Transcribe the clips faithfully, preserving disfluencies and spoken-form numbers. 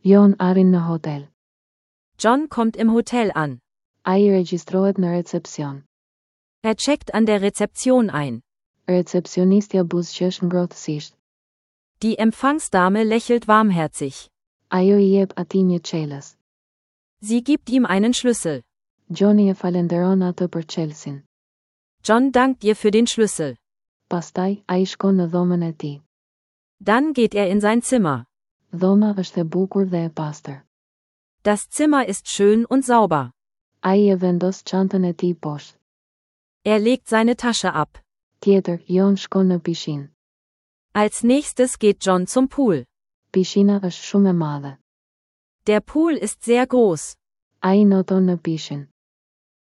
John arrin në hotel. John kommt im Hotel an. Ai regjistrohet në recepcion. Er checkt an der Rezeption ein. Recepcionistja buzëqesh ngrohtësisht. Die Empfangsdame lächelt warmherzig. Ajo i jep atij një çelës. Sie gibt ihm einen Schlüssel. Johnny e falenderon atë për çelësin. John dankt ihr für den Schlüssel. Pastaj, ai shkon në dhomën e tij. Dann geht er in sein Zimmer. Dhoma është e bukur dhe e pastër. Das Zimmer ist schön und sauber. Ai e vendos çantën e tij poshtë. Er legt seine Tasche ab. Tjetër, John shkon në pishinë. Als Nächstes geht John zum Pool. Pishina është shumë e madhe. Der Pool ist sehr groß. Ai noton në pishinë.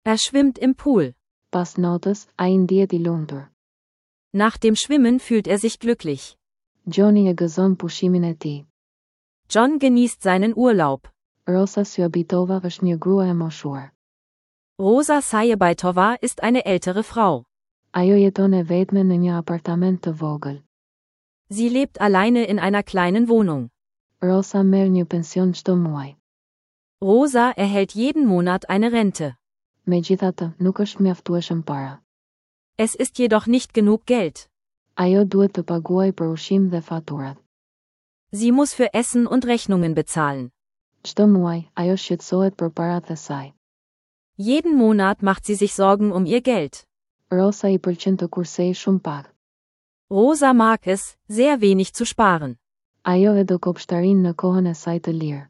Er schwimmt im Pool. Pas notës, ai ndihet i lumtur. Nach dem Schwimmen fühlt er sich glücklich. Johnny e gëzon pushimin e tij. John genießt seinen Urlaub. Rosa Syabitova është një grua e moshuar. Rosa Sayebaitova ist eine ältere Frau. Ajo jeton e vetme në një apartament të vogël. Sie lebt alleine in einer kleinen Wohnung. Rosa merr një pension çdo muaj. Rosa erhält jeden Monat eine Rente. Megjithatë, nuk është mjaftueshëm para. Es ist jedoch nicht genug Geld. Ajo duhet të paguajë për ushqim dhe faturat. Sie muss für Essen und Rechnungen bezahlen. Çdo muaj, ajo shqetësohet për paratë e saj. Jeden Monat macht sie sich Sorgen um ihr Geld. Rosa i pëlqen të kursejë shumë pak. Rosa mag es, sehr wenig zu sparen. Ajo e do kopshtarinë në kohën e saj të lirë.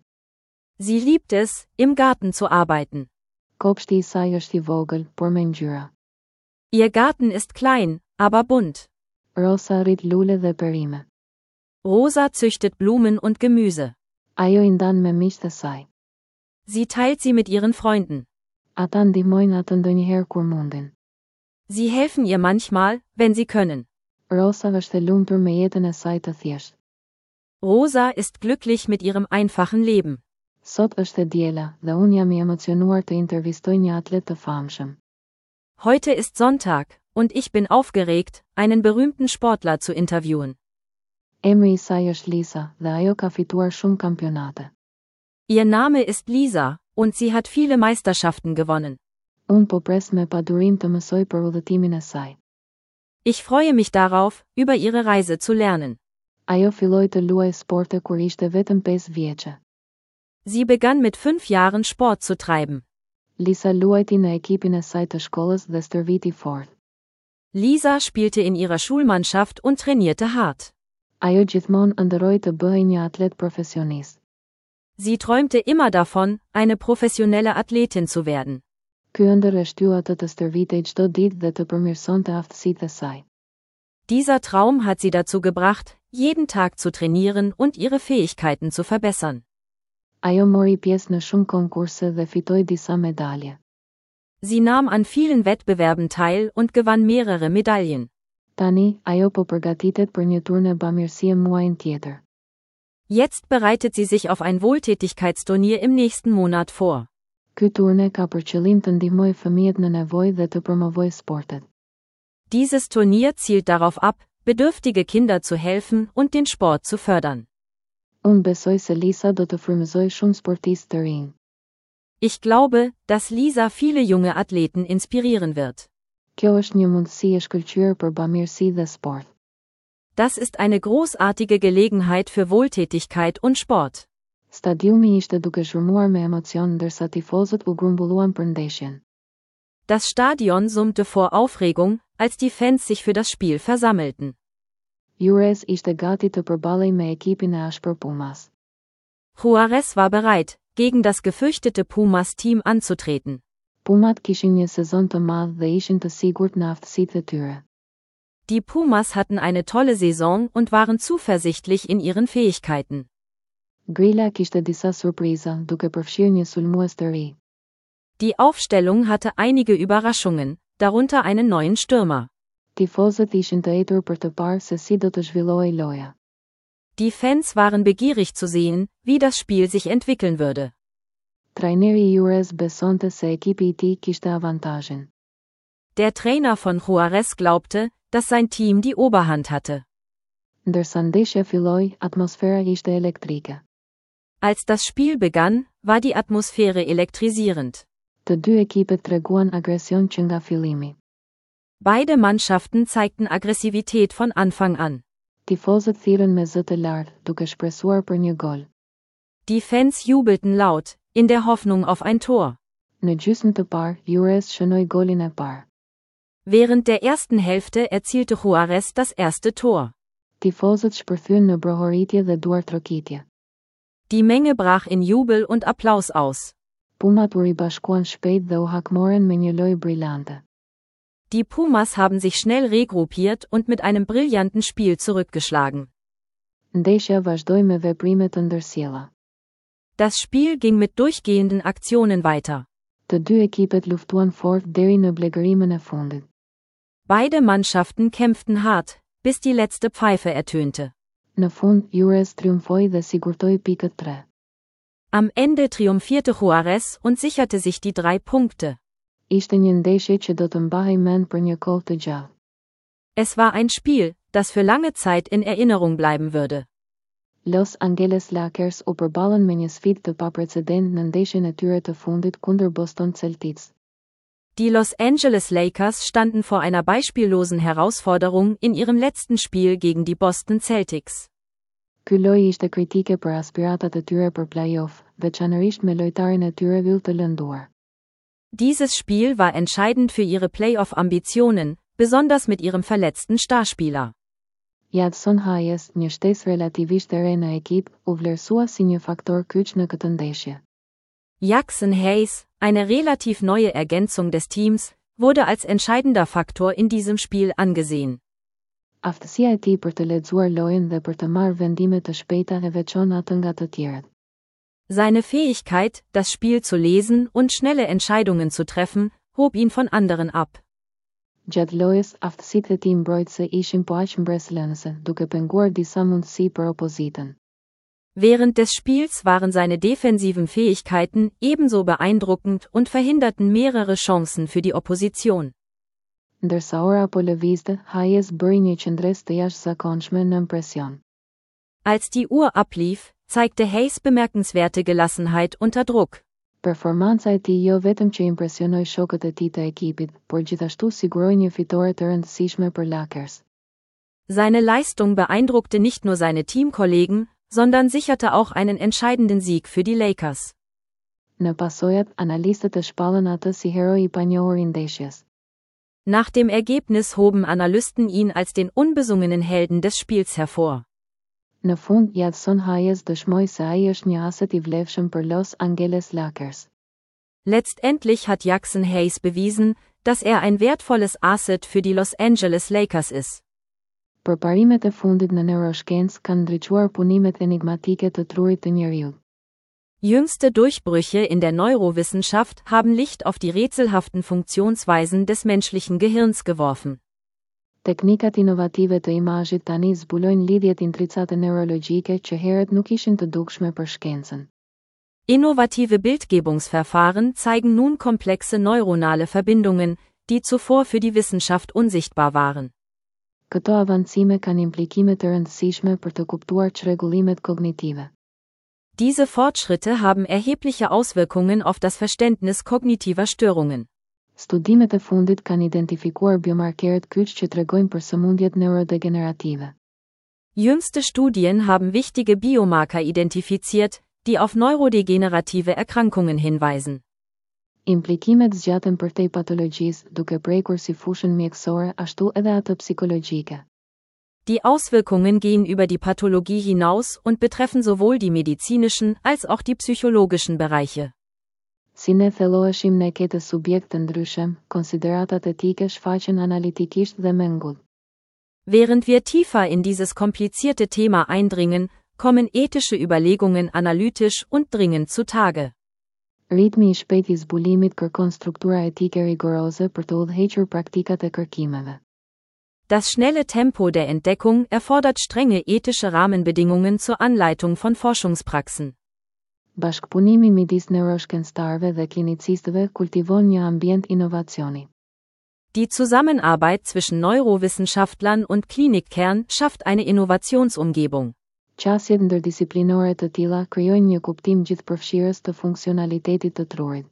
Sie liebt es, im Garten zu arbeiten. Kopshti i saj është i vogël, por me ngjyra. Ihr Garten ist klein, aber bunt. Rosa rrit lule dhe perime. Rosa züchtet Blumen und Gemüse. Ajo i ndan me miqtë e saj. Sie teilt sie mit ihren Freunden. Ata ndihmojnë atë ndonjëherë kur mundin. Sie helfen ihr manchmal, wenn sie können. Rosa është e lumtur me jetën e saj të thjeshtë. Rosa ist glücklich mit ihrem einfachen Leben. Sot është e diela dhe unë jam i emocionuar të intervistoj një atlet të famshëm. Heute ist Sonntag, und ich bin aufgeregt, einen berühmten Sportler zu interviewen. Emri i saj është Lisa dhe ajo ka fituar shumë kampionate. Ihr Name ist Lisa, und sie hat viele Meisterschaften gewonnen. Unë po pres me padurim të mësoj për udhëtimin e saj. Ich freue mich darauf, über ihre Reise zu lernen. Ajo filloi të luajë sporte kur ishte vetëm pesë vjeçe. Sie begann mit fünf Jahren, Sport zu treiben. Lisa luajti në ekipin e saj të shkollës dhe stërviti fort. Lisa spielte in ihrer Schulmannschaft und trainierte hart. Ajo gjithmonë ëndërroi të bëhej një atlet profesionist. Sie träumte immer davon, eine professionelle Athletin zu werden. Ky ëndërr e shtyu atë të stërvitej çdo ditë dhe të përmirësonte aftësitë e saj. Dieser Traum hat sie dazu gebracht, jeden Tag zu trainieren und ihre Fähigkeiten zu verbessern. Ajo mori pjesë në shumë konkurse dhe fitoi disa medalje. Sie nahm an vielen Wettbewerben teil und gewann mehrere Medaillen. Tani, ajo po përgatitet për një turne bamirësie muajin tjetër. Jetzt bereitet sie sich auf ein Wohltätigkeitsturnier im nächsten Monat vor. Ky turne ka për qëllim të ndihmojë fëmijët në nevojë dhe të promovojë sportet. Dieses Turnier zielt darauf ab, bedürftige Kinder zu helfen und den Sport zu fördern. Unë besoj se Lisa do të frymëzojë shumë sportistë të rinj. Ich glaube, dass Lisa viele junge Athleten inspirieren wird. Kjo është një mundësi e shkëlqyer për bamirësi dhe sport. Das ist eine großartige Gelegenheit für Wohltätigkeit und Sport. Stadiumi ishte duke zhurmuar me emocion ndërsa tifozët u grumbulluan për ndeshjen. Das Stadion summte vor Aufregung, als die Fans sich für das Spiel versammelten. Juarez ishte gati të përballej me ekipin e ashpër Pumas. Juarez war bereit, gegen das gefürchtete Pumas-Team anzutreten. Pumat kishin një sezon të madh dhe ishin të sigurt në aftësitë e tyre. Die Pumas hatten eine tolle Saison und waren zuversichtlich in ihren Fähigkeiten. Grila kishte disa surpriza, duke përfshirë një sulmues të ri. Die Aufstellung hatte einige Überraschungen, darunter einen neuen Stürmer. Tifozët ishin të etur për të parë se si do të zhvillohej loja. Die Fans waren begierig zu sehen, wie das Spiel sich entwickeln würde. Trajneri i Juarez besonte se ekipi i tij kishte avantazhin. Der Trainer von Juarez glaubte, dass sein Team die Oberhand hatte. Ndërsa ndeshja filloi, atmosfera ishte elektrike. Als das Spiel begann, war die Atmosphäre elektrisierend. Të dy ekipet treguan agresion që nga fillimi. Beide Mannschaften zeigten Aggressivität von Anfang an. Tifozët thirrën me zë të lartë, duke shpresuar për një gol. Die Fans jubelten laut, in der Hoffnung auf ein Tor. Në gjysmë të parë, Juarez shënoi golin e parë. Während der ersten Hälfte erzielte Juarez das erste Tor. Tifozët shpërthyen në brohoritje dhe duartrokitje. Die Menge brach in Jubel und Applaus aus. Pumat u ribashkuan shpejt dhe u hakmoren me një lojë brillante. Die Pumas haben sich schnell regruppiert und mit einem brillanten Spiel zurückgeschlagen. Ndeshja vazhdoi me veprime të ndërsjella. Das Spiel ging mit durchgehenden Aktionen weiter. Të dy ekipet luftuan fort deri në blegërimën e fundit. Beide Mannschaften kämpften hart, bis die letzte Pfeife ertönte. Në fund, Juarez triumfoi dhe sigurtoi pikët tre. Am Ende triumphierte Juarez und sicherte sich die drei Punkte. Ishte një ndeshje që do të mbahej mend për një kohë të gjatë. Es war ein Spiel, das für lange Zeit in Erinnerung bleiben würde. Los Angeles Lakers u përballën me një sfidë të paprecedent në ndeshjen e tyre të fundit kundër Boston Celtics. Die Los Angeles Lakers standen vor einer beispiellosen Herausforderung in ihrem letzten Spiel gegen die Boston Celtics. Ky lojë ishte kritike për aspiratat e tyre për play-off, veçanërisht me lojtarin e tyre yll të lënduar. Dieses Spiel war entscheidend für ihre Playoff-Ambitionen, besonders mit ihrem verletzten Starspieler. Jaxson Hayes, një shtesë relativisht e re në ekip, u vlerësua si një faktor kyç në këtë ndeshje. Jaxson Hayes, eine relativ neue Ergänzung des Teams, wurde als entscheidender Faktor in diesem Spiel angesehen. Aftësia e tij për të lexuar lojën dhe për të marrë vendime të shpejta e veçon atë nga të tjerët. Seine Fähigkeit, das Spiel zu lesen und schnelle Entscheidungen zu treffen, hob ihn von anderen ab. Gjatë lojës, aftësitë e tij mbrojtëse ishin po aq mbresëlënëse, duke penguar disa mundësi për opozitën. Während des Spiels waren seine defensiven Fähigkeiten ebenso beeindruckend und verhinderten mehrere Chancen für die Opposition. Ndërsa ora po lëvizte, Hayes bëri një qëndresë të jashtëzakonshme nën presion. Als die Uhr ablief, zeigte Hayes bemerkenswerte Gelassenheit unter Druck. Performanca e tij jo vetëm që impresionoi shokët e tij të ekipit, por gjithashtu siguroi një fitore të rëndësishme për Lakers. Seine Leistung beeindruckte nicht nur seine Teamkollegen, sondern sicherte auch einen entscheidenden Sieg für die Lakers. Në pasojat, analistët e shpallën atë si heroi i panjohur i ndeshjes. Nach dem Ergebnis hoben Analysten ihn als den unbesungenen Helden des Spiels hervor. Në fund, Jaxson Hayes dëshmoi se ai është një aset i vlefshëm për Los Angeles Lakers. Letztendlich hat Jaxson Hayes bewiesen, dass er ein wertvolles Asset für die Los Angeles Lakers ist. Përparimet e fundit në neuroshkencë kanë ndriçuar punimet enigmatike të trurit të njeriut. Jüngste Durchbrüche in der Neurowissenschaft haben Licht auf die rätselhaften Funktionsweisen des menschlichen Gehirns geworfen. Teknikat inovative të imazhit tani zbulojnë lidhjet intricate neurologjike që herët nuk ishin të dukshme për shkencën. Innovative Bildgebungsverfahren zeigen nun komplexe neuronale Verbindungen, die zuvor für die Wissenschaft unsichtbar waren. Këto avancime kanë implikime të rëndësishme për të kuptuar çrregullimet kognitive. Diese Fortschritte haben erhebliche Auswirkungen auf das Verständnis kognitiver Störungen. Studimet e fundit kanë identifikuar biomarkerët kyç që tregojnë për sëmundjet neurodegenerative. Jüngste Studien haben wichtige Biomarker identifiziert, die auf neurodegenerative Erkrankungen hinweisen. Implikimet zgjaten përtej patologjisë, duke prekur si fushën mjekësore ashtu edhe atë psikologjike. Die Auswirkungen gehen über die Pathologie hinaus und betreffen sowohl die medizinischen als auch die psychologischen Bereiche. Si ne thelloheshim në këtë subjekt të ndryshëm, konsideratat etike shfaqen analitikisht dhe me ngut. Während wir tiefer in dieses komplizierte Thema eindringen, kommen ethische Überlegungen analytisch und dringend zutage. Ritmi i shpejt i zbulimit kërkon struktura etike rigoroze për të udhëhequr praktikat e kërkimeve. Das schnelle Tempo der Entdeckung erfordert strenge ethische Rahmenbedingungen zur Anleitung von Forschungspraxen. Bashkëpunimi midis neuroshkencëtarëve dhe klinicistëve kultivon një ambient inovacioni. Die Zusammenarbeit zwischen Neurowissenschaftlern und Klinikern schafft eine Innovationsumgebung. Qasjet ndërdisiplinore të tilla krijojnë një kuptim gjithëpërfshirës të funksionalitetit të trurit.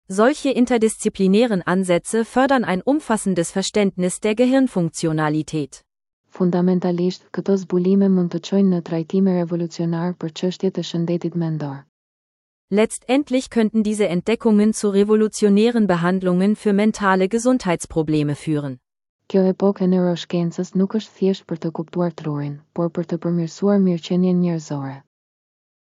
Solche interdisziplinären Ansätze fördern ein umfassendes Verständnis der Gehirnfunktionalität. Fundamentalisht, këto zbulime mund të çojnë në trajtime revolucionar për çështjet e shëndetit mendor. Letztendlich könnten diese Entdeckungen zu revolutionären Behandlungen für mentale Gesundheitsprobleme führen. Kjo epokë e neuroshkencës nuk është thjesht për të kuptuar trurin, por për të përmirësuar mirëqenien njerëzore.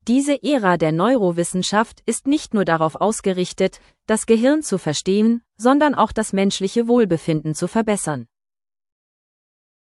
Diese Ära der Neurowissenschaft ist nicht nur darauf ausgerichtet, das Gehirn zu verstehen, sondern auch das menschliche Wohlbefinden zu verbessern.